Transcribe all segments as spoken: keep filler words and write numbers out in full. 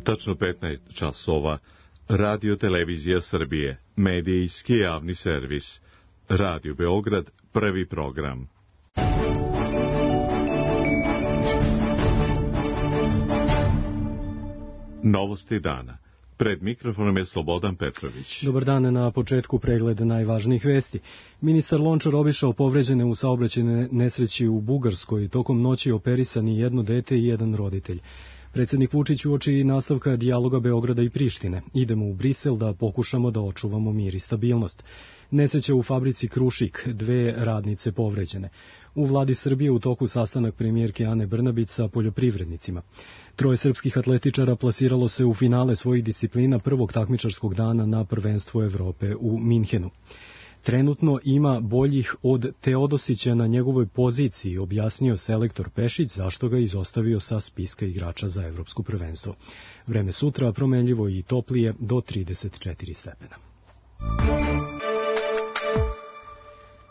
Tačno petnaest časova. Radio Televizija Srbije, medijski javni servis. Radio Beograd, prvi program. Novosti dana. Pred mikrofonom je Slobodan Petrović. Dobar dan, na početku pregleda najvažnijih vesti. Ministar Lončar obišao povređene u saobraćajnoj nesreći u Bugarskoj. Tokom noći operisani jedno dete i jedan roditelj. Predsjednik Vučić uoči nastavka dijaloga Beograda i Prištine. Idemo u Brisel da pokušamo da očuvamo mir i stabilnost. Nesreća u fabrici Krušik, dve radnice povređene. U vladi Srbije u toku sastanak premijerke Ane Brnabić sa poljoprivrednicima. Troje srpskih atletičara plasiralo se u finale svojih disciplina prvog takmičarskog dana na prvenstvu Evrope u Minhenu. Trenutno ima boljih od Teodosića na njegovoj poziciji, objasnio selektor Pešić, zašto ga izostavio sa spiska igrača za evropsko prvenstvo. Vreme sutra promenljivo i toplije do trideset četiri stepena.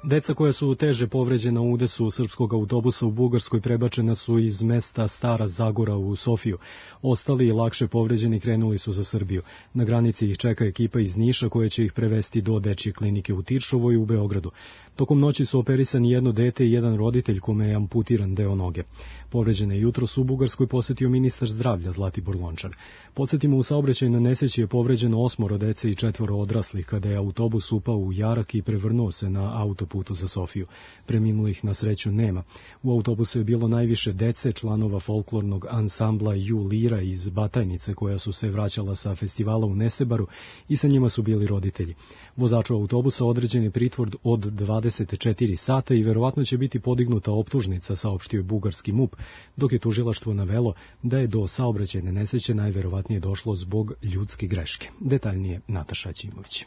Deca koja su teže povređena u udesu srpskog autobusa u Bugarskoj prebačena su iz mesta Stara Zagora u Sofiju. Ostali lakše povređeni krenuli su za Srbiju. Na granici ih čeka ekipa iz Niša koja će ih prevesti do dečje klinike u Tiršovoj i u Beogradu. Tokom noći su operisani jedno dete i jedan roditelj kome je amputiran deo noge. Povređene jutros u Bugarskoj posetio ministar zdravlja Zlatibor Lončar. Podsjetimo, u saobraćajnoj nesreći je povređeno osmoro dece i četvoro odraslih kada je autobus upao u jarak i prevrnuo se na autoputu za Sofiju. Preminulih na sreću nema. U autobusu je bilo najviše dece, članova folklornog ansambla Ju Lira iz Batajnice koja su se vraćala sa festivala u Nesebaru i sa njima su bili roditelji. Vozaču autobusa određen je pritvor od dvadeset četiri sata i verovatno će biti podignuta optužnica, saopštio bugarski M U P, dok je tužilaštvo navelo da je do saobraćajne nesreće najverovatnije došlo zbog ljudske greške. Detaljnije Nataša Ćimović.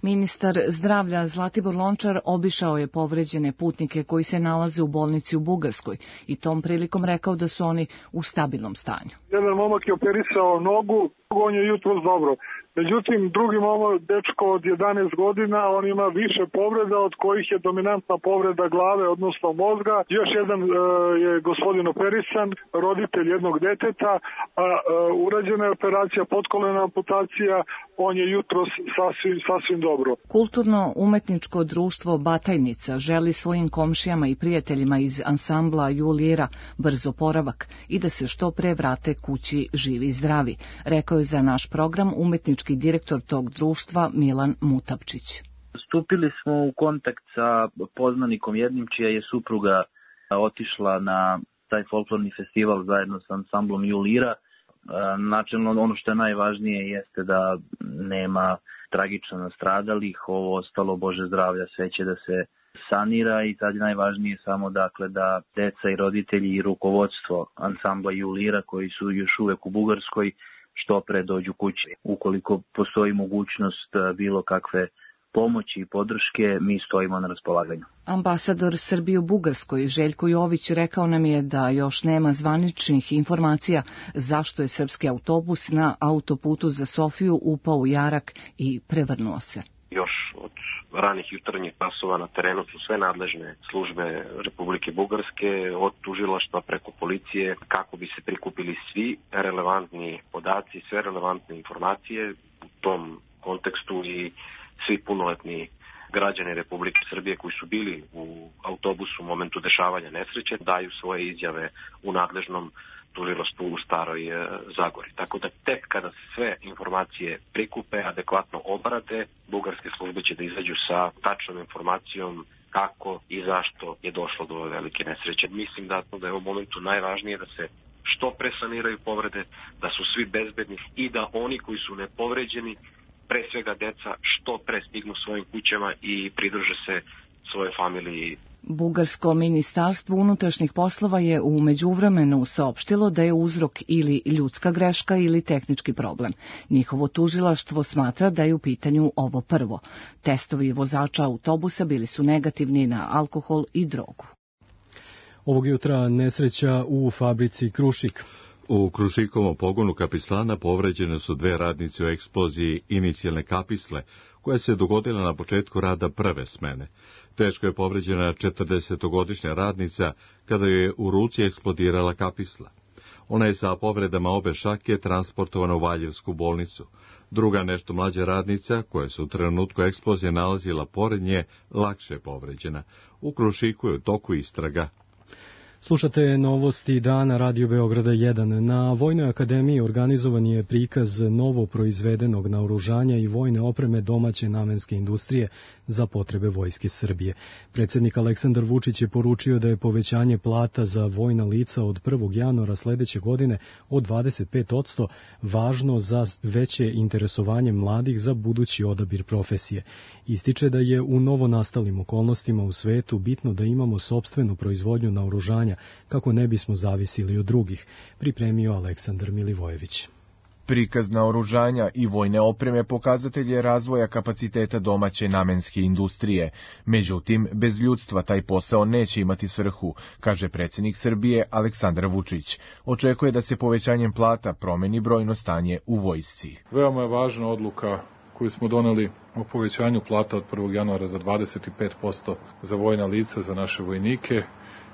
Ministar zdravlja Zlatibor Lončar obišao je povređene putnike koji se nalaze u bolnici u Bugarskoj i tom prilikom rekao da su oni u stabilnom stanju. Jedan momak je operisao nogu, on je jutros dobro. Međutim, drugi momak, dečko od jedanaest godina, on ima više povreda, od kojih je dominantna povreda glave, odnosno mozga. Još jedan e, je gospodin operisan, roditelj jednog deteta, a e, urađena je operacija, potkolena amputacija, on je jutros sasvim, sasvim dobro. Kulturno-umetničko društvo Batajnica želi svojim komšijama i prijateljima iz ansambla Ju Lira brz oporavak i da se što pre vrate kući živi i zdravi, rekao je za naš program umetnički direktor tog društva Milan Mutapčić. Stupili smo u kontakt sa poznanikom jednim čija je supruga otišla na taj folklorni festival zajedno sa ansamblom Ju Lira. Načelno ono što je najvažnije jeste da nema tragično nastradalih, ovo ostalo Bože zdravlja sve će da se sanira i sad je najvažnije samo dakle da deca i roditelji i rukovodstvo ansambla Ju Lira koji su još uvek u Bugarskoj što pre dođu kući. Ukoliko postoji mogućnost bilo kakve pomoći i podrške, mi stojimo na raspolaganju. Ambasador Srbije u Bugarskoj Željko Jović rekao nam je da još nema zvaničnih informacija zašto je srpski autobus na autoputu za Sofiju upao u jarak i prevrnuo se. Još od ranih jutarnjih časova na terenu su sve nadležne službe Republike Bugarske, od tužilaštva preko policije, kako bi se prikupili svi relevantni podaci, sve relevantne informacije u tom kontekstu i svi punoletni građani Republike Srbije koji su bili u autobusu u momentu dešavanja nesreće daju svoje izjave u nadležnom tužilaštvu u Staroj Zagori. Tako da tek kada se sve informacije prikupe, adekvatno obrade, bugarske službe će da izađu sa tačnom informacijom kako i zašto je došlo do ove velike nesreće. Mislim da, da je u momentu najvažnije da se što pre saniraju povrede, da su svi bezbedni i da oni koji su nepovređeni, pre svega deca, što pre stignu svojim kućama i pridruže se svoje familiji. Bugarsko ministarstvo unutrašnjih poslova je u međuvremenu saopštilo da je uzrok ili ljudska greška ili tehnički problem. Njihovo tužilaštvo smatra da je u pitanju ovo prvo. Testovi vozača autobusa bili su negativni na alkohol i drogu. Ovog jutra nesreća u fabrici Krušik. U Krušikovom pogonu Kapislana povređene su dve radnice u eksploziji inicijalne kapisle, koja se dogodila na početku rada prve smene. Teško je povređena četrdesetogodišnja radnica kada je u ruci eksplodirala kapisla. Ona je sa povredama obe šake transportovana u Valjevsku bolnicu. Druga, nešto mlađa radnica, koja se u trenutku eksplozije nalazila pored nje, lakše povređena. U Krušiku je u toku istraga. Slušate novosti dana Radio Beograda jedan. Na Vojnoj akademiji organizovan je prikaz novo proizvedenog naoružanja i vojne opreme domaće namenske industrije za potrebe Vojske Srbije. Predsjednik Aleksandar Vučić je poručio da je povećanje plata za vojna lica od prvog januara sledeće godine od dvadeset pet posto važno za veće interesovanje mladih za budući odabir profesije. Ističe da je u novonastalim okolnostima u svetu bitno da imamo sopstvenu proizvodnju naoružanja kako ne bismo zavisili od drugih, pripremio Aleksandar Milivojević. Prikaz naoružanja i vojne opreme pokazatelj je razvoja kapaciteta domaće namenske industrije. Međutim, bez ljudstva taj posao neće imati svrhu, kaže predsjednik Srbije Aleksandar Vučić. Očekuje da se povećanjem plata promeni brojno stanje u vojsci. Veoma je važna odluka koju smo doneli o povećanju plata od prvog januara za dvadeset pet posto za vojna lica, za naše vojnike,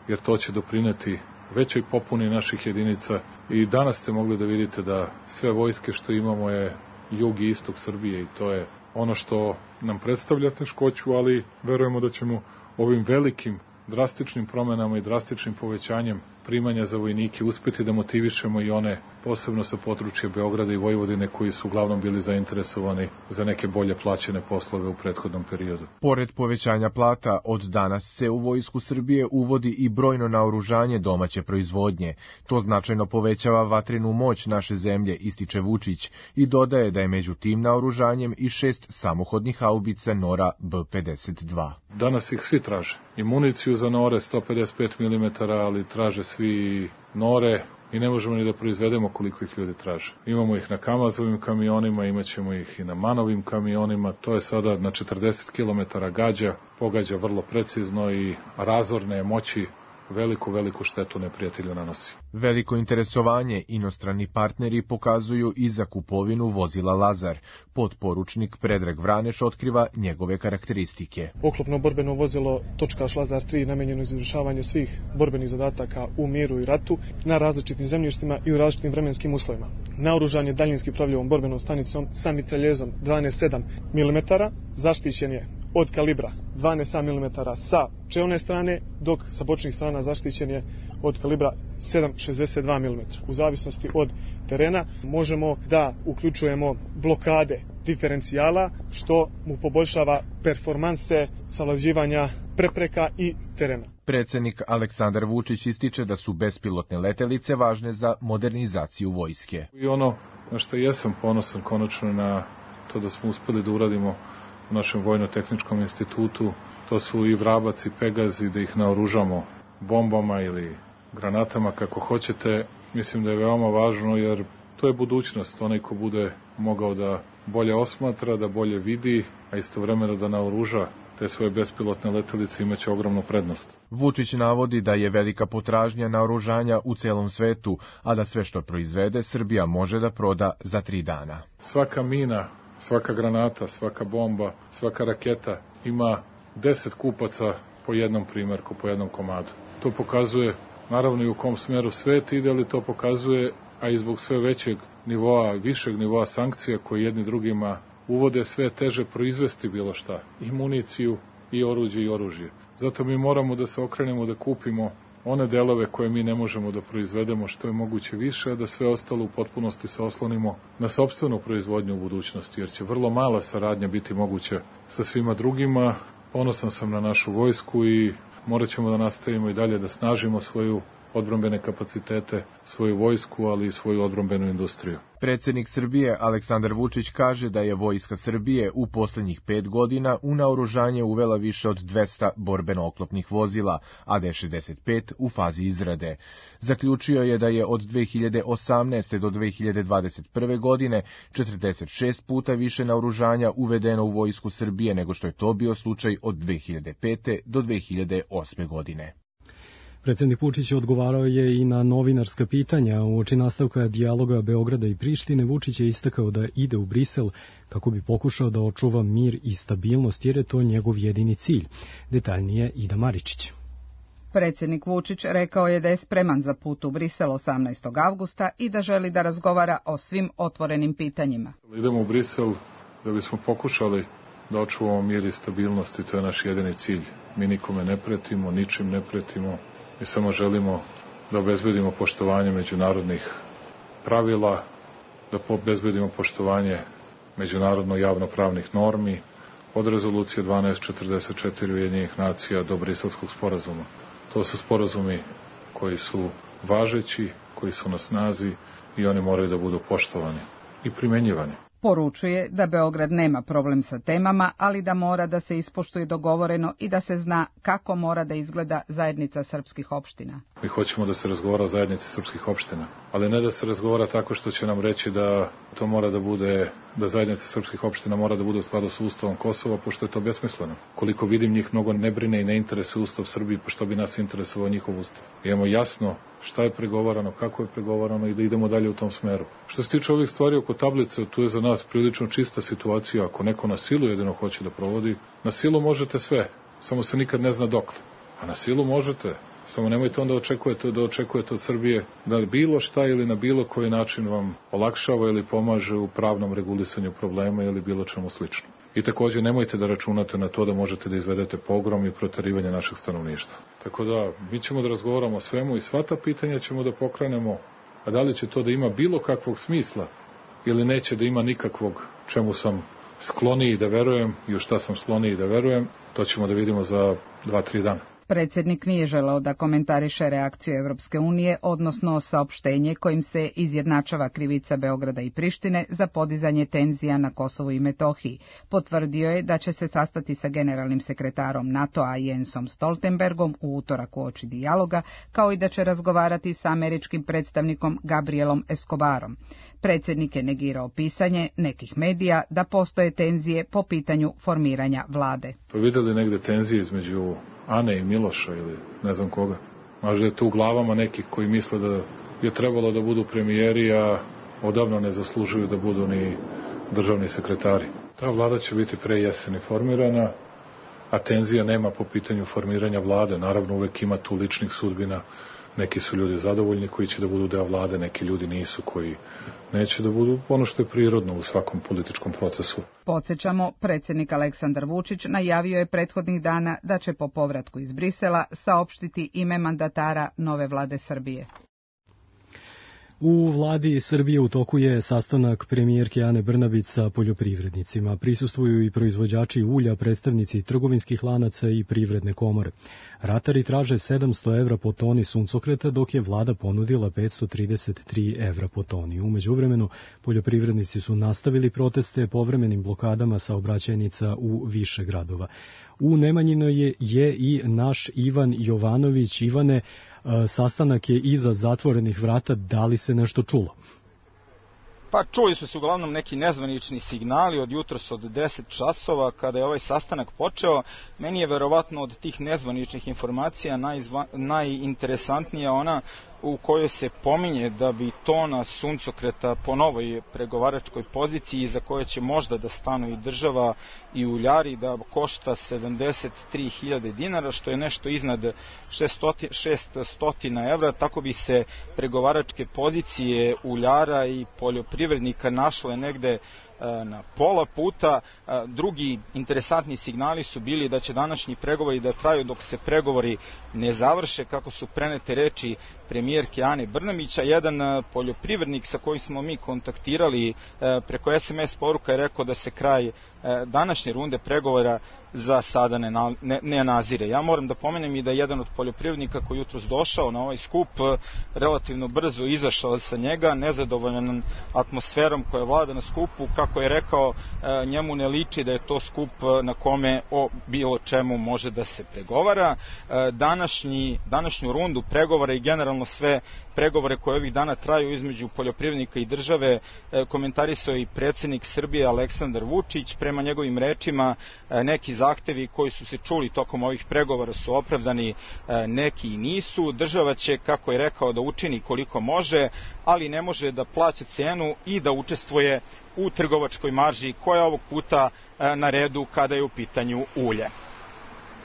jer to će doprineti većoj popuni naših jedinica. I danas ste mogli da vidite da sve vojske što imamo je jug i istok Srbije i to je ono što nam predstavlja teškoću, ali verujemo da ćemo ovim velikim drastičnim promenama i drastičnim povećanjem primanja za vojnike uspeti da motivišemo i one, posebno sa područja Beograda i Vojvodine, koji su uglavnom bili zainteresovani za neke bolje plaćene poslove u prethodnom periodu. Pored povećanja plata, od danas se u Vojsku Srbije uvodi i brojno naoružanje domaće proizvodnje. To značajno povećava vatrenu moć naše zemlje, ističe Vučić, i dodaje da je među tim naoružanjem i šest samohodnih haubica Nora B pedeset dva. Danas ih svi traže. I municiju za Nore sto pedeset pet milimetara, ali traže svi Nore i ne možemo ni da proizvedemo koliko ih ljudi traže. Imamo ih na Kamazovim kamionima, imat ćemo ih i na Manovim kamionima. To je sada na četrdeset kilometara gađa, pogađa vrlo precizno i razorne moći veliku, veliku štetu neprijatelju nanosi. Veliko interesovanje inostrani partneri pokazuju i za kupovinu vozila Lazar. Podporučnik Predrag Vraneš otkriva njegove karakteristike. Oklopno borbeno vozilo Točkaš Lazar tri namenjeno za izvršavanje svih borbenih zadataka u miru i ratu na različitim zemljištima i u različitim vremenskim uslovima. Naoružan je daljinski upravljivom borbenom stanicom sa mitraljezom dvanaest sedam milimetara, zaštićen je od kalibra dvanaest milimetara sa čelne strane, dok sa bočnih strana zaštićen je od kalibra sedam zarez šezdeset dva milimetra. U zavisnosti od terena možemo da uključujemo blokade diferencijala, što mu poboljšava performanse savlađivanja prepreka i terena. Predsjednik Aleksandar Vučić ističe da su bespilotne letelice važne za modernizaciju vojske. I ono na što jesam ponosan konačno na to da smo uspeli da uradimo u našem vojno-tehničkom institutu, to su i Vrabac i Pegazi, da ih naoružamo bombama ili granatama, kako hoćete. Mislim da je veoma važno, jer to je budućnost. Onaj ko bude mogao da bolje osmatra, da bolje vidi, a istovremeno da naoruža te svoje bespilotne letelice, imaće ogromnu prednost. Vučić navodi da je velika potražnja naoružanja u celom svetu, a da sve što proizvede Srbija može da proda za tri dana. Svaka mina, svaka granata, svaka bomba, svaka raketa ima deset kupaca po jednom primjerku, po jednom komadu. To pokazuje naravno i u kom smjeru svet ide, ali to pokazuje, a i zbog sve većeg nivoa, višeg nivoa sankcija koje jedni drugima uvode, sve teže proizvesti bilo šta, i municiju, i oruđe, i oružje. Zato mi moramo da se okrenemo da kupimo one delove koje mi ne možemo da proizvedemo što je moguće više, a da sve ostalo u potpunosti se oslonimo na sopstvenu proizvodnju u budućnosti, jer će vrlo mala saradnja biti moguća sa svima drugima. Ponosan sam na našu vojsku i morat ćemo da nastavimo i dalje da snažimo svoju odbrambene kapacitete, svoju vojsku, ali i svoju odbrambenu industriju. Predsjednik Srbije Aleksandar Vučić kaže da je Vojska Srbije u posljednjih pet godina u naoružanje uvela više od dvesta borbeno-oklopnih vozila, a D šezdeset pet u fazi izrade. Zaključio je da je od dve hiljade osamnaeste. do dve hiljade dvadeset prve. godine četrdeset šest puta više naoružanja uvedeno u Vojsku Srbije nego što je to bio slučaj od dve hiljade pete. do dve hiljade osme. godine. Predsjednik Vučić odgovarao je i na novinarska pitanja. Uoči nastavka dijaloga Beograda i Prištine, Vučić je istakao da ide u Brisel kako bi pokušao da očuva mir i stabilnost, jer je to njegov jedini cilj. Detaljnije Ida Maričić. Predsjednik Vučić rekao je da je spreman za put u Brisel osamnaestog avgusta i da želi da razgovara o svim otvorenim pitanjima. Idemo u Brisel da bismo pokušali da očuvamo mir i stabilnost i to je naš jedini cilj. Mi nikome ne pretimo, ničim ne pretimo i samo želimo da obezbedimo poštovanje međunarodnih pravila, da obezbedimo poštovanje međunarodno javnopravnih normi od rezolucije dvanaest četrdeset četiri Ujedinjenih nacija do Briselskog sporazuma. To su sporazumi koji su važeći, koji su na snazi i oni moraju da budu poštovani i primenjivani. Poručuje da Beograd nema problem sa temama, ali da mora da se ispoštuje dogovoreno i da se zna kako mora da izgleda zajednica srpskih opština. Mi hoćemo da se razgovara o zajednici srpskih opština, ali ne da se razgovara tako što će nam reći da to mora da bude, da zajednica srpskih opština mora da bude u skladu sa Ustavom Kosova, pošto je to besmisleno. Koliko vidim, njih mnogo ne brine i ne interesuje Ustav Srbije, pa što bi nas interesovao njihov Ustav. Imamo jasno šta je pregovarano, kako je pregovarano i da idemo dalje u tom smeru. Što se tiče ovih stvari oko tablice, tu je za nas prilično čista situacija. Ako neko na silu jedino hoće da provodi, na silu možete sve, samo se nikad ne zna dokle. A na silu možete, samo nemojte onda očekujete da očekujete od Srbije da li bilo šta ili na bilo koji način vam olakšava ili pomaže u pravnom regulisanju problema ili bilo čemu slično. I takođe nemojte da računate na to da možete da izvedete pogrom i proterivanje našeg stanovništva. Tako da mi ćemo da razgovaramo o svemu i sva ta pitanja ćemo da pokrenemo, a da li će to da ima bilo kakvog smisla ili neće da ima nikakvog, čemu sam skloniji da verujem i u šta sam skloniji da verujem, to ćemo da vidimo za dva, tri dana. Predsjednik nije želeo da komentariše reakciju Evropske unije, odnosno saopštenje kojim se izjednačava krivica Beograda i Prištine za podizanje tenzija na Kosovu i Metohiji. Potvrdio je da će se sastati sa generalnim sekretarom NATO-a Jensom Stoltenbergom u utorak uoči dijaloga, kao i da će razgovarati sa američkim predstavnikom Gabrielom Escobarom. Predsjednik je negirao pisanje nekih medija da postoje tenzije po pitanju formiranja vlade. Pa videli negde tenzije između Ane i Miloša ili ne znam koga. Možda je to u glavama nekih koji misle da je trebalo da budu premijeri, a odavno ne zaslužuju da budu ni državni sekretari. Ta vlada će biti pre jeseni formirana, a tenzija nema po pitanju formiranja vlade. Naravno, uvek ima tu ličnih sudbina. Neki su ljudi zadovoljni koji će da budu deo vlade, neki ljudi nisu koji neće da budu, ono što je prirodno u svakom političkom procesu. Podsjećamo, predsjednik Aleksandar Vučić najavio je prethodnih dana da će po povratku iz Brisela saopštiti ime mandatara nove vlade Srbije. U vladi Srbije u toku je sastanak premijerke Ane Brnabić sa poljoprivrednicima. Prisustvuju i proizvođači ulja, predstavnici trgovinskih lanaca i privredne komore. Ratari traže sedamsto evra po toni suncokreta, dok je vlada ponudila petsto trideset tri evra po toni. U međuvremenu, poljoprivrednici su nastavili proteste povremenim blokadama saobraćajnica u više gradova. U Nemanjinoj je, je i naš Ivan Jovanović. Ivane, sastanak je iza zatvorenih vrata, da li se nešto čulo? Pa čuli su se uglavnom neki nezvanični signali od jutros od deset časova kada je ovaj sastanak počeo. Meni je verovatno od tih nezvaničnih informacija najzva, najinteresantnija ona u kojoj se pominje da bi tona suncokreta po novoj pregovaračkoj poziciji za koje će možda da stanu i država i uljari da košta sedamdeset tri hiljade dinara, što je nešto iznad šesto evra, tako bi se pregovaračke pozicije uljara i poljoprivrednika našle negde na pola puta. Drugi interesantni signali su bili da će današnji pregovori da traju dok se pregovori ne završe, kako su prenete reči premijerke Ane Brnabića. Jedan poljoprivrednik sa kojim smo mi kontaktirali preko es em es poruka je rekao da se kraj današnje runde pregovora za sada ne, na, ne, ne nazire. Ja moram da pomenem i da je jedan od poljoprivrednika koji jutros došao na ovaj skup relativno brzo izašao sa njega, nezadovoljan atmosferom koja vlada na skupu. Kako je rekao, njemu ne liči da je to skup na kome o bilo čemu može da se pregovara. Današnji, današnju rundu pregovora i generalno sve pregovore koje ovih dana traju između poljoprivrednika i države komentarisao i predsjednik Srbije Aleksandar Vučić. Prema njegovim rečima, neki zahtevi koji su se čuli tokom ovih pregovora su opravdani, neki i nisu. Država će, kako je rekao, da učini koliko može, ali ne može da plaća cenu i da učestvuje u trgovačkoj marži koja je ovog puta na redu kada je u pitanju ulje.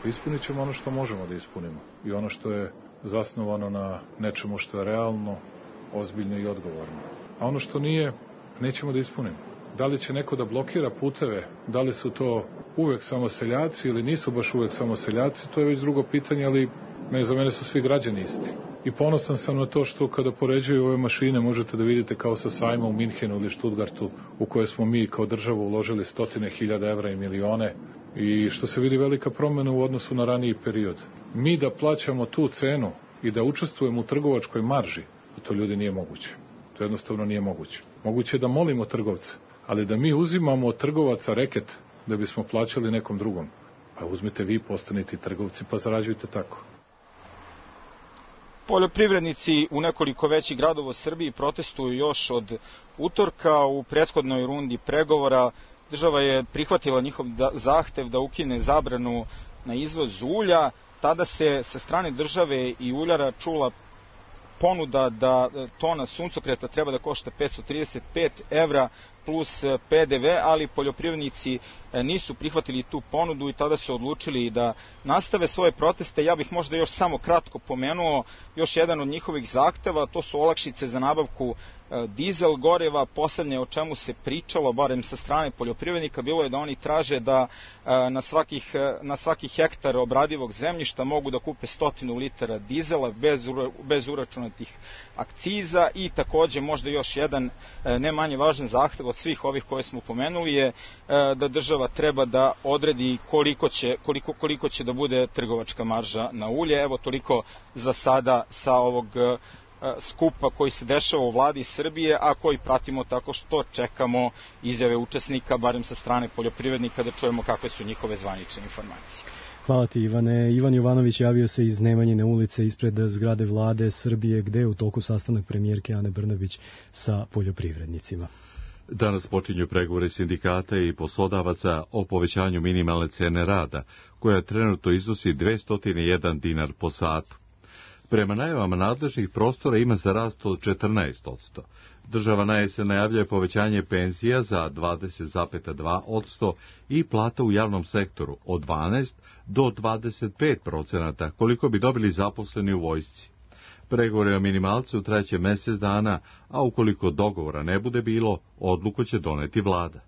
Ispunit ćemo ono što možemo da ispunimo i ono što je zasnovano na nečemu što je realno, ozbiljno i odgovorno. A ono što nije, nećemo da ispunimo. Da li će neko da blokira puteve, da li su to uvek samo seljaci ili nisu baš uvek samo seljaci, to je već drugo pitanje, ali za mene su svi građani isti. I ponosan sam na to što kada poređuju ove mašine možete da vidite kao sa sajma u Minhenu ili Štutgartu u koje smo mi kao država uložili stotine hiljada evra i milione i što se vidi velika promjena u odnosu na raniji period. Mi da plaćamo tu cenu i da učestvujemo u trgovačkoj marži, to ljudi nije moguće. To jednostavno nije moguće. Moguće je da molimo trgovce, ali da mi uzimamo od trgovaca reket da bismo plaćali nekom drugom. Pa uzmite vi, postanite trgovci pa zarađujte tako. Poljoprivrednici u nekoliko većih gradova u Srbiji protestuju još od utorka. U prethodnoj rundi pregovora država je prihvatila njihov zahtev da ukine zabranu na izvoz ulja. Tada se sa strane države i uljara čula ponuda da tona suncokreta treba da košta petsto trideset pet evra plus P D V, ali poljoprivrednici nisu prihvatili tu ponudu i tada su odlučili da nastave svoje proteste. Ja bih možda još samo kratko pomenuo još jedan od njihovih zahteva, to su olakšice za nabavku dizel goriva. Poslednje o čemu se pričalo, barem sa strane poljoprivrednika, bilo je da oni traže da na, svakih, na svaki hektar obradivog zemljišta mogu da kupe stotinu litara dizela bez, bez uračunatih akciza i takođe možda još jedan ne manje važan zahtev od svih ovih koje smo pomenuli je da država treba da odredi koliko će, koliko, koliko će da bude trgovačka marža na ulje. Evo toliko za sada sa ovog skupa koji se dešava u vladi Srbije, a koji pratimo tako što čekamo izjave učesnika, barem sa strane poljoprivrednika, da čujemo kakve su njihove zvanične informacije. Hvala ti, Ivane. Ivan Jovanović javio se iz Nemanjine ulice ispred zgrade vlade Srbije, gde je u toku sastanak premijerke Ane Brnabić sa poljoprivrednicima. Danas počinju pregovori sindikata i poslodavaca o povećanju minimalne cene rada, koja trenutno iznosi dvesta jedan dinar po satu. Prema najavama nadležnih prostora ima za rast od četrnaest posto. Država na jesen najavljuje povećanje penzija za dvadeset zarez dva posto i plata u javnom sektoru od dvanaest do dvadeset pet procenata, koliko bi dobili zaposleni u vojsci. Pregovori o minimalcu traće mesec dana, a ukoliko dogovora ne bude bilo, odluku će doneti vlada.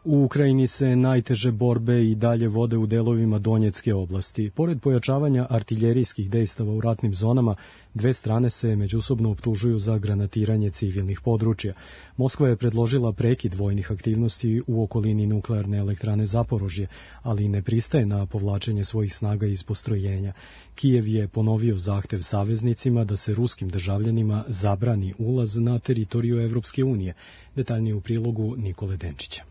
U Ukrajini se najteže borbe i dalje vode u delovima Donjecke oblasti. Pored pojačavanja artiljerijskih dejstava u ratnim zonama, dve strane se međusobno optužuju za granatiranje civilnih područja. Moskva je predložila prekid vojnih aktivnosti u okolini nuklearne elektrane Zaporožje, ali ne pristaje na povlačenje svojih snaga iz postrojenja. Kijev je ponovio zahtev saveznicima da se ruskim državljanima zabrani ulaz na teritoriju Evropske unije. Detaljnije u prilogu Nikole Denčića.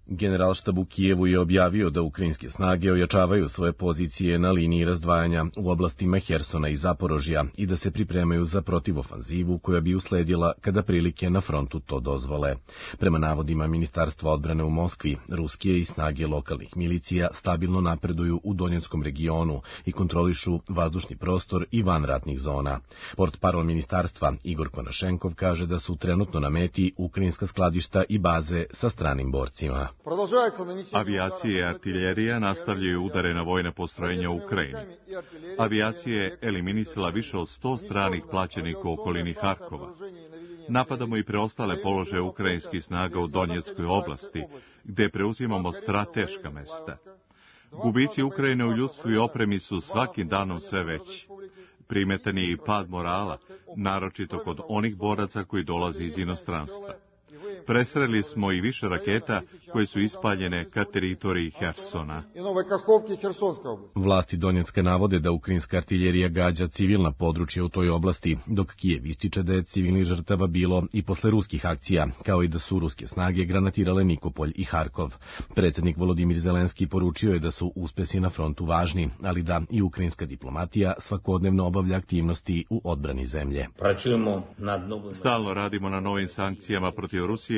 Generalštab u Kijevu je objavio da ukrajinske snage ojačavaju svoje pozicije na liniji razdvajanja u oblastima Hersona i Zaporožja i da se pripremaju za protivofanzivu koja bi usledila kada prilike na frontu to dozvole. Prema navodima Ministarstva odbrane u Moskvi, ruske i snage lokalnih milicija stabilno napreduju u Donjeckom regionu i kontrolišu vazdušni prostor i vanratnih zona. Portparol ministarstva Igor Konašenkov kaže da su trenutno na meti ukrajinska skladišta i baze sa stranim borcima. Avijacija i artiljerija nastavljaju udare na vojne postrojenja u Ukrajini. Avijacija je eliminisala više od sto stranih plaćenika u okolini Harkova. Napadamo i preostale položaje ukrajinskih snaga u Donjeckoj oblasti, gde preuzimamo strateška mesta. Gubici Ukrajine u ljudstvu i opremi su svakim danom sve veći. Primetan je i pad morala, naročito kod onih boraca koji dolaze iz inostranstva. Presreli smo i više raketa koje su ispaljene ka teritoriji Hersona. Vlasti Donjecka navode da ukrajinska artiljerija gađa civilna područja u toj oblasti, dok Kijev ističe da je civilnih žrtava bilo i posle ruskih akcija, kao i da su ruske snage granatirale Nikopolj i Harkov. Predsjednik Volodimir Zelenski poručio je da su uspesi na frontu važni, ali da i ukrajinska diplomatija svakodnevno obavlja aktivnosti u odbrani zemlje. Stalno radimo na novim sankcijama protiv Rusije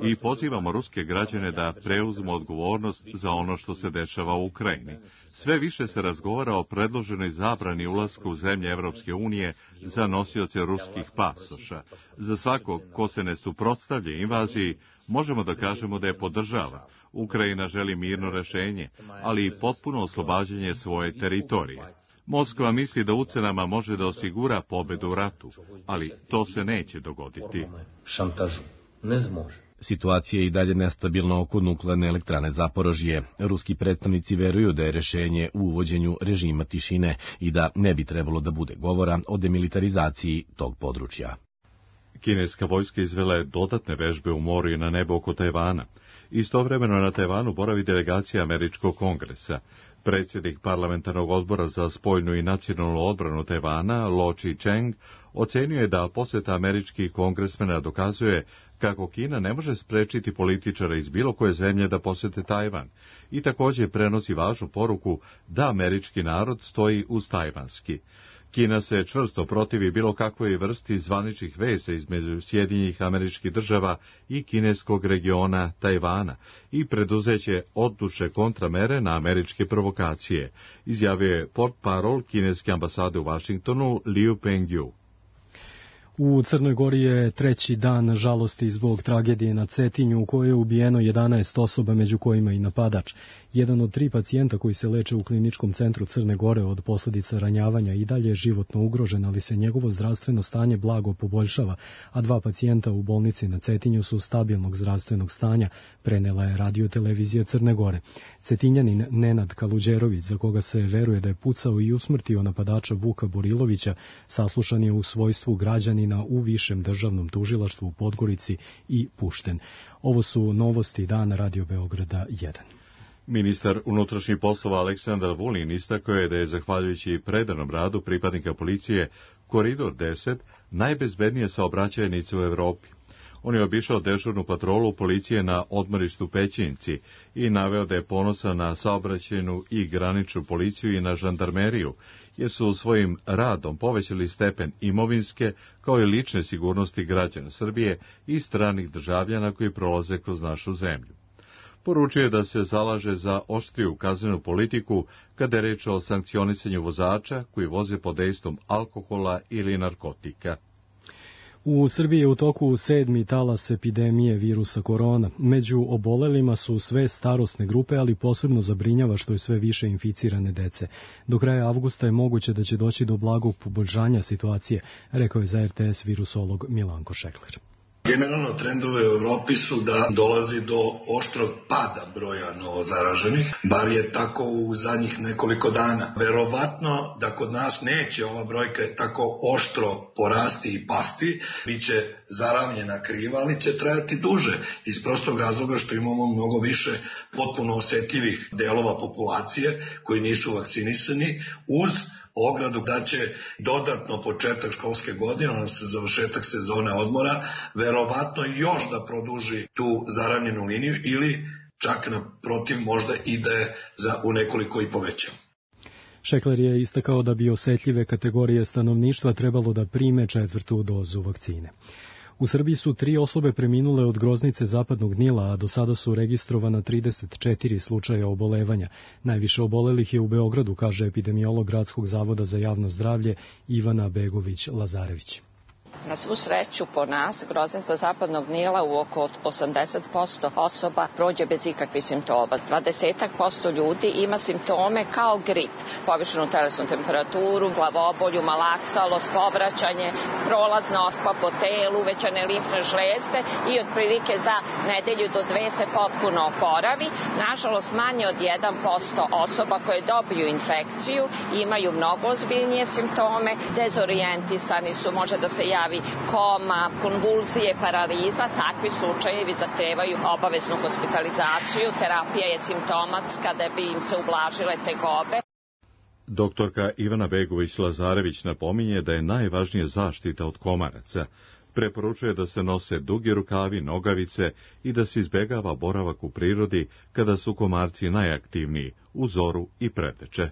i pozivamo ruske građane da preuzmu odgovornost za ono što se dešava u Ukrajini. Sve više se razgovara o predloženoj zabrani ulaska u zemlje Evropske unije za nosioce ruskih pasoša. Za svakog ko se ne suprotstavlja invaziji, možemo da kažemo da je podržava. Ukrajina želi mirno rešenje, ali i potpuno oslobađanje svoje teritorije. Moskva misli da ucenama može da osigura pobedu u ratu, ali to se neće dogoditi. Situacija je i dalje nestabilna oko nuklearne elektrane Zaporožje. Ruski predstavnici veruju da je rešenje u uvođenju režima tišine i da ne bi trebalo da bude govora o demilitarizaciji tog područja. Kineska vojska izvela je dodatne vežbe u moru i na nebu oko Tajvana. Istovremeno na Tajvanu boravi delegacija Američkog kongresa. Predsjednik parlamentarnog odbora za spoljnu i nacionalnu odbranu Tajvana, Lo Chi-cheng, ocenio je da posjeta američkih kongresmena dokazuje kako Kina ne može sprečiti političara iz bilo koje zemlje da posjete Tajvan i također prenosi važnu poruku da američki narod stoji uz tajvanski. Kina se čvrsto protivi bilo kakvoj vrsti zvaničnih veza između Sjedinjenih Američkih Država i kineskog regiona Tajvana i preduzeće odlučne kontramere na američke provokacije, izjavio je portparol kineske ambasade u Vašingtonu Liu Pengyu. U Crnoj Gori je treći dan žalosti zbog tragedije na Cetinju u kojoj je ubijeno jedanaest osoba, među kojima i napadač. Jedan od tri pacijenta koji se leče u kliničkom centru Crne Gore od posljedica ranjavanja i dalje je životno ugrožen, ali se njegovo zdravstveno stanje blago poboljšava, a dva pacijenta u bolnici na Cetinju su stabilnog zdravstvenog stanja, prenela je radiotelevizija Crne Gore. Cetinjanin Nenad Kaluđerović, za koga se veruje da je pucao i usmrtio napadača Vuka Borilovića, saslušan je u svojstvu građanina u Višem državnom tužilaštvu u Podgorici i pušten. Ovo su novosti dana Radio Beograda jedan. Ministar unutrašnjih poslova Aleksandar Vulin istakao je da je, zahvaljujući predanom radu pripadnika policije, Koridor deset najbezbednija saobraćajnica u Evropi. On je obišao dežurnu patrolu policije na odmorištu Pećinci i naveo da je ponosan na saobraćajnu i graničnu policiju i na žandarmeriju, jer su svojim radom povećali stepen imovinske kao i lične sigurnosti građana Srbije i stranih državljana koji prolaze kroz našu zemlju. Poručuje je da se zalaže za oštriju kaznenu politiku kada je reč o sankcionisanju vozača koji voze pod dejstvom alkohola ili narkotika. U Srbiji je u toku sedmi talas epidemije virusa korona. Među obolelima su sve starosne grupe, ali posebno zabrinjava što je sve više inficirane dece. Do kraja avgusta je moguće da će doći do blagog poboljšanja situacije, rekao je za R T S virusolog Milanko Šekler. Generalno trendove u Evropi su da dolazi do oštrog pada broja novozaraženih, bar je tako u zadnjih nekoliko dana. Verovatno da kod nas neće ova brojka tako oštro porasti i pasti, bit će zaravnjena kriva, ali će trajati duže, iz prostog razloga što imamo mnogo više potpuno osetljivih delova populacije koji nisu vakcinisani, uz ogradu da će dodatno početak školske godine, odnosno završetak sezone odmora, verovatno još da produži tu zaravnjenu liniju ili čak naprotiv možda ide za u nekoliko i poveća. Šekler je istakao da bi osetljive kategorije stanovništva trebalo da prime četvrtu dozu vakcine. U Srbiji su tri osobe preminule od groznice zapadnog Nila, a do sada su registrovana trideset četiri slučaja obolevanja. Najviše obolelih je u Beogradu, kaže epidemiolog Gradskog zavoda za javno zdravlje Ivana Begović-Lazarević. Na svu sreću po nas, groznica zapadnog Nila u oko osamdeset posto osoba prođe bez ikakvih simptoma. dvadeset posto ljudi ima simptome kao grip, povišenu telesnu temperaturu, glavobolju, malaksalost, povraćanje, prolazna ospa po telu, uvećane limfne žlezde i otprilike za nedelju do dve se potpuno oporavi. Nažalost, manje od jedan posto osoba koje dobiju infekciju imaju mnogo ozbiljnije simptome, dezorijentisani su, može da se javi koma, konvulzije, paraliza. Takvi slučajevi zahtevaju obaveznu hospitalizaciju. Terapija je simptomatska da bi im se ublažile tegobe. Doktorka Ivana Begović-Lazarević napominje da je najvažnija zaštita od komaraca. Preporučuje da se nose dugi rukavi, nogavice i da se izbegava boravak u prirodi kada su komarci najaktivniji, u zoru i preteče.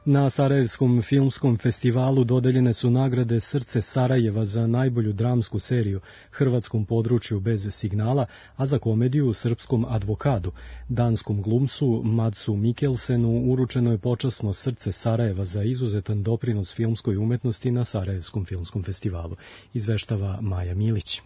Na Sarajevskom filmskom festivalu dodeljene su nagrade Srce Sarajeva za najbolju dramsku seriju, Hrvatskom području bez signala, a za komediju Srpskom advokadu. Danskom glumcu Madsu Mikkelsenu uručeno je počasno Srce Sarajeva za izuzetan doprinos filmskoj umetnosti na Sarajevskom filmskom festivalu, izveštava Maja Milić.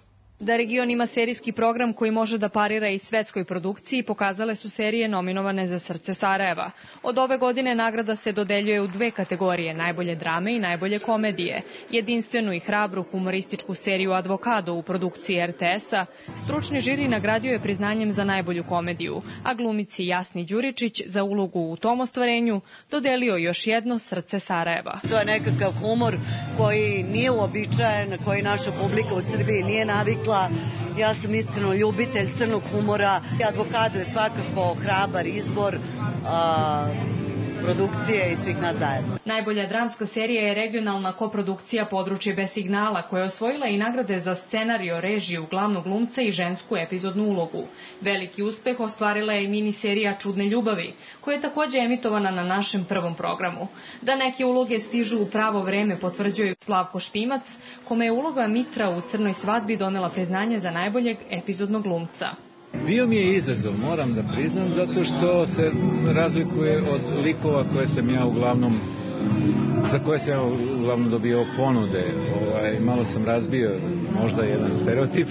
Da region ima serijski program koji može da parira i svetskoj produkciji, pokazale su serije nominovane za Srce Sarajeva. Od ove godine nagrada se dodeljuje u dve kategorije, najbolje drame i najbolje komedije. Jedinstvenu i hrabru humorističku seriju Advokado u produkciji er te es-a, stručni žiri nagradio je priznanjem za najbolju komediju, a glumici Jasni Đuričić za ulogu u tom ostvarenju dodelio još jedno Srce Sarajeva. To je nekakav humor koji nije uobičajen, koji naša publika u Srbiji nije navikla. Ja sam iskreno ljubitelj crnog humora. Advokado je svakako hrabar izbor a, produkcije i svih nas zajedno. Najbolja dramska serija je regionalna koprodukcija Područje bez signala, koja je osvojila i nagrade za scenario, režiju, glavnog glumca i žensku epizodnu ulogu. Veliki uspeh ostvarila je i miniserija Čudne ljubavi, koja je takođe emitovana na našem prvom programu. Da neke uloge stižu u pravo vreme potvrđuje Slavko Štimac, kome je uloga Mitra u Crnoj svadbi donela priznanje za najboljeg epizodnog glumca. Bio mi je izazov, moram da priznam, zato što se razlikuje od likova koje sam ja uglavnom, za koje sam ja uglavnom dobio ponude. Ovaj, malo sam razbio možda jedan stereotip.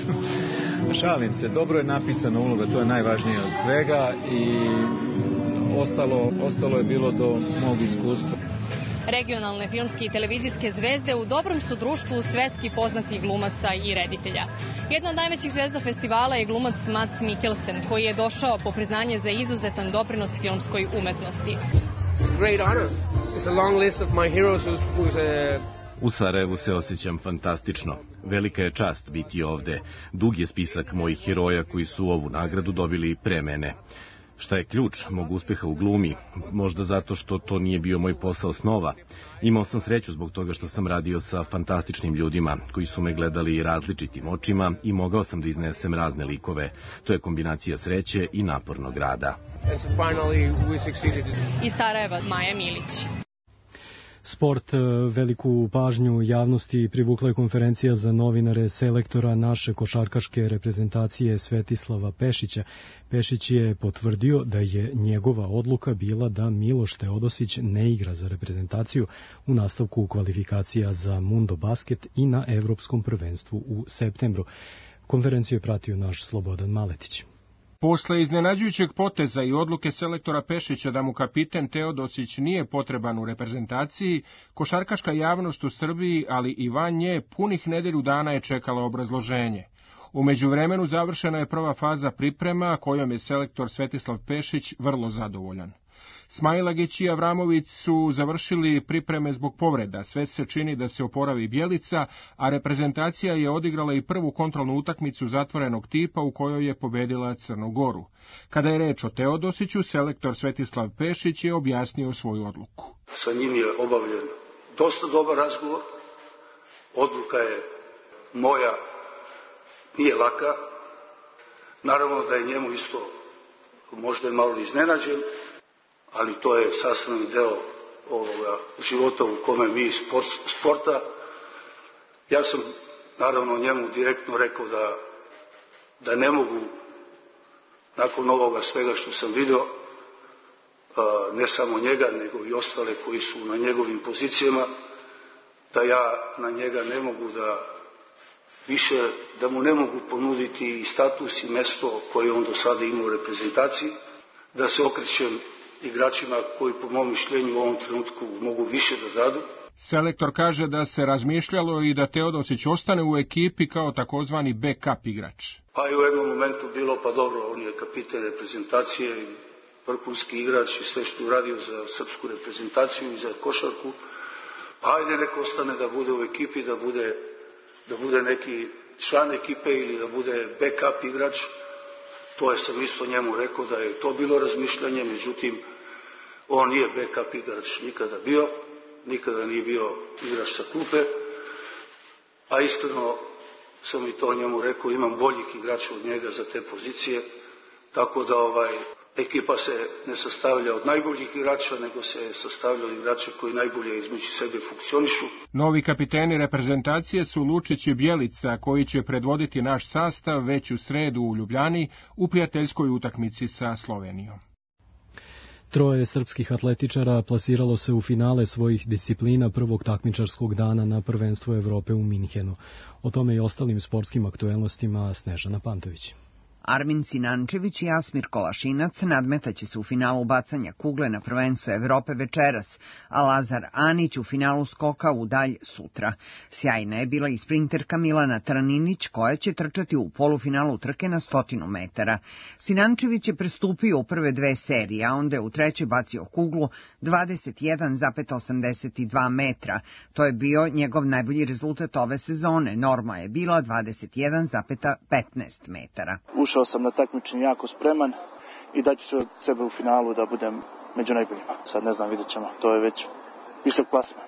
Šalim se, dobro je napisana uloga, to je najvažnije od svega i ostalo, ostalo je bilo do mog iskustva. Regionalne filmske i televizijske zvezde u dobrom su društvu svetski poznatih glumaca i reditelja. Jedna od najvećih zvezda festivala je glumac Mads Mikkelsen, koji je došao po priznanje za izuzetan doprinos filmskoj umetnosti. Great honor. It's a long list of my heroes who's a... U Sarajevu se osjećam fantastično. Velika je čast biti ovde. Dug je spisak mojih heroja koji su ovu nagradu dobili pre mene. Šta je ključ mog uspeha u glumi? Možda zato što to nije bio moj posao snova. Imao sam sreću zbog toga što sam radio sa fantastičnim ljudima koji su me gledali različitim očima i mogao sam da iznesem razne likove. To je kombinacija sreće i napornog rada. Iz Sarajeva Maja Milić. Sport. Veliku pažnju javnosti privukla je konferencija za novinare selektora naše košarkaške reprezentacije Svetislava Pešića. Pešić je potvrdio da je njegova odluka bila da Miloš Teodosić ne igra za reprezentaciju u nastavku kvalifikacija za Mundo Basket i na Evropskom prvenstvu u septembru. Konferenciju je pratio naš Slobodan Maletić. Posle iznenađujućeg poteza i odluke selektora Pešića da mu kapiten Teodosić nije potreban u reprezentaciji, košarkaška javnost u Srbiji, ali i van nje, punih nedelju dana je čekala obrazloženje. U međuvremenu završena je prva faza priprema, kojom je selektor Svetislav Pešić vrlo zadovoljan. Smailagić i Avramović su završili pripreme zbog povreda, sve se čini da se oporavi Bjelica, a reprezentacija je odigrala i prvu kontrolnu utakmicu zatvorenog tipa u kojoj je pobedila Crnu Goru. Kada je reč o Teodosiću, selektor Svetislav Pešić je objasnio svoju odluku. Sa njim je obavljen dosta dobar razgovor, odluka je moja, nije laka, naravno da je njemu isto možda je malo iznenađen, ali to je sastavni deo ovoga života u kome mi iz sporta. Ja sam naravno njemu direktno rekao da, da ne mogu, nakon ovoga svega što sam video, ne samo njega, nego i ostale koji su na njegovim pozicijama, da ja na njega ne mogu da više, da mu ne mogu ponuditi i status i mesto koje on do sada ima u reprezentaciji, da se okrećem igračima koji po mom mišljenju u ovom trenutku mogu više da dadu. Selektor kaže da se razmišljalo i da Teodosić ostane u ekipi kao takozvani backup igrač. Pa i u jednom momentu bilo, pa dobro, on je kapiten reprezentacije, vrhunski igrač i sve što uradio za srpsku reprezentaciju i za košarku. Ajde, neko ostane da bude u ekipi, da bude, da bude neki član ekipe ili da bude backup igrač. To je sam isto njemu rekao da je to bilo razmišljanje, međutim, on nije backup igrač nikada bio, nikada nije bio igrač sa klupe, a iskreno sam i to njemu rekao, imam boljih igrača od njega za te pozicije, tako da ovaj, ekipa se ne sastavlja od najboljih igrača, nego se sastavlja od igrača koji najbolje između sebe funkcionišu. Novi kapiteni reprezentacije su Lučić i Bjelica, koji će predvoditi naš sastav već u sredu u Ljubljani u prijateljskoj utakmici sa Slovenijom. Troje srpskih atletičara plasiralo se u finale svojih disciplina prvog takmičarskog dana na prvenstvu Evrope u Minhenu. O tome i ostalim sportskim aktuelnostima Snežana Pantović. Armin Sinančević i Asmir Kolašinac nadmetaće se u finalu bacanja kugle na prvenstvo Evrope večeras, a Lazar Anić u finalu skoka u dalj sutra. Sjajna je bila i sprinterka Milana Traninić, koja će trčati u polufinalu trke na stotinu metara. Sinančević je prestupio u prve dve serije, a onda je u trećoj bacio kuglu dvadeset jedan zarez osamdeset dva metra. To je bio njegov najbolji rezultat ove sezone. Norma je bila dvadeset jedan zarez petnaest metara. Ušao sam na takmičenje jako spreman i daću se od sebe u finalu da budem među najboljima. Sad ne znam, vidjet ćemo, to je već visok plasman.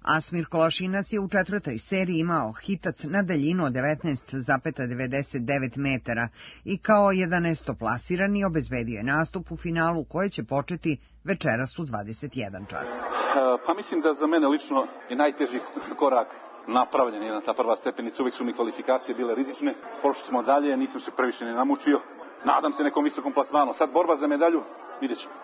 Asmir Kolašinac je u četvrtoj seriji imao hitac na daljinu od devetnaest zarez devedeset devet metara i kao jedanaestoplasirani obezbedio je nastup u finalu koje će početi večeras u dvadeset jedan čas. Pa mislim da za mene lično je najteži korak napravljen je na ta prva stepenica, uvijek su mi kvalifikacije bile rizične. Pošli smo dalje, nisam se previše ne namučio. Nadam se nekom visokom plasmanu. Sad borba za medalju, vidjet ćemo.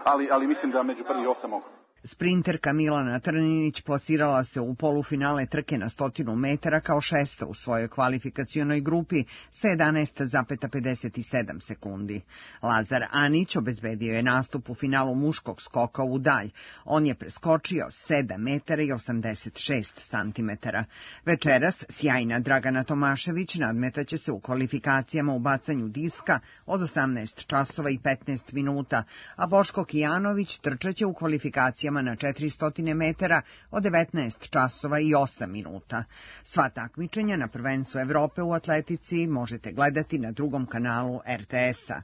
Ali, ali mislim da među prvi osam mogu. Sprinterka Milana Trninić plasirala se u polufinale trke na stotinu metara kao šesta u svojoj kvalifikacionoj grupi sa jedanaest zarez pedeset sedam sekundi. Lazar Anić obezbedio je nastup u finalu muškog skoka u dalj. On je preskočio sedam metara i osamdeset šest santimetara. Večeras sjajna Dragana Tomašević nadmetaće se u kvalifikacijama u bacanju diska od osamnaest časova i petnaest minuta, a Boško Kijanović trčaće u kvalifikacijama na četiristo metara od devetnaest časova i osam minuta. Sva takmičenja na prvenstvu Evrope u atletici možete gledati na drugom kanalu er te es-a.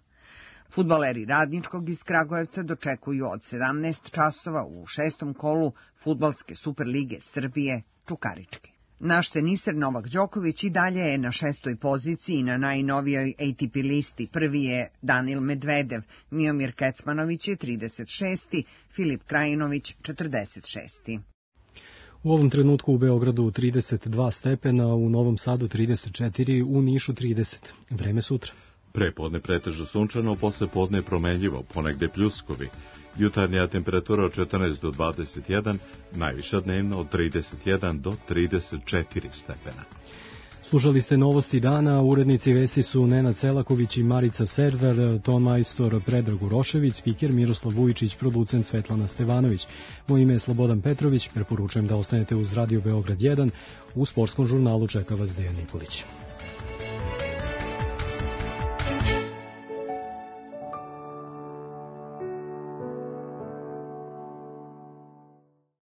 Fudbaleri Radničkog iz Kragujevca dočekuju od sedamnaest časova u šestom kolu Fudbalske Superlige Srbije Čukarički. Naš teniser Novak Đoković i dalje je na šestoj poziciji na najnovijoj A T P listi. Prvi je Danil Medvedev, Miomir Kecmanović je trideset šesti, Filip Krajinović četrdeset šesti. U ovom trenutku u Beogradu trideset dva stepena, u Novom Sadu trideset četiri, u Nišu trideset. Vreme sutra. Prepodne pretežno sunčano, posle podne promenljivo, ponegde pljuskovi. Jutarnja temperatura od četrnaest do dvadeset jedan, najviša dnevno od trideset jedan do trideset četiri stepena. Slušali ste novosti dana, urednici vesti su Nenad Selaković i Marica Server, ton majstor Predrag Urošević, spiker Miroslav Vujičić, producent Svetlana Stevanović. Moje ime je Slobodan Petrović, preporučujem da ostanete uz Radio Beograd jedan, u sportskom žurnalu čeka vas Dejan Nikolić.